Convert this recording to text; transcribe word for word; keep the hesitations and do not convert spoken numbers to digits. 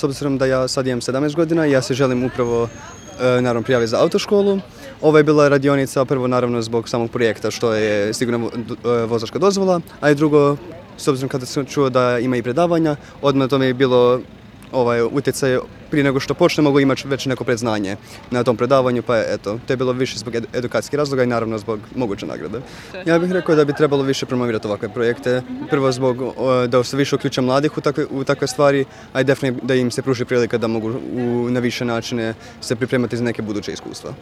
S obzirom da ja sad imam sedamnaest godina, ja se želim upravo e, naravno prijaviti za autoškolu. Ovo je bila radionica prvo naravno zbog samog projekta što je sigurna vozačka dozvola, a i drugo, s obzirom kada sam čuo da ima i predavanja, odmah to mi je bilo ovaj, utjecaj prije nego što počne mogu imati već neko predznanje na tom predavanju, pa eto, to je bilo više zbog ed edukacijskih razloga i naravno zbog moguće nagrade. Ja bih rekao da bi trebalo više promovirati ovakve projekte, prvo zbog o, da se više uključe mladih u takve, u takve stvari, a i definitivno da im se pruži prilika da mogu u, na više načine se pripremati za neke buduće iskustva.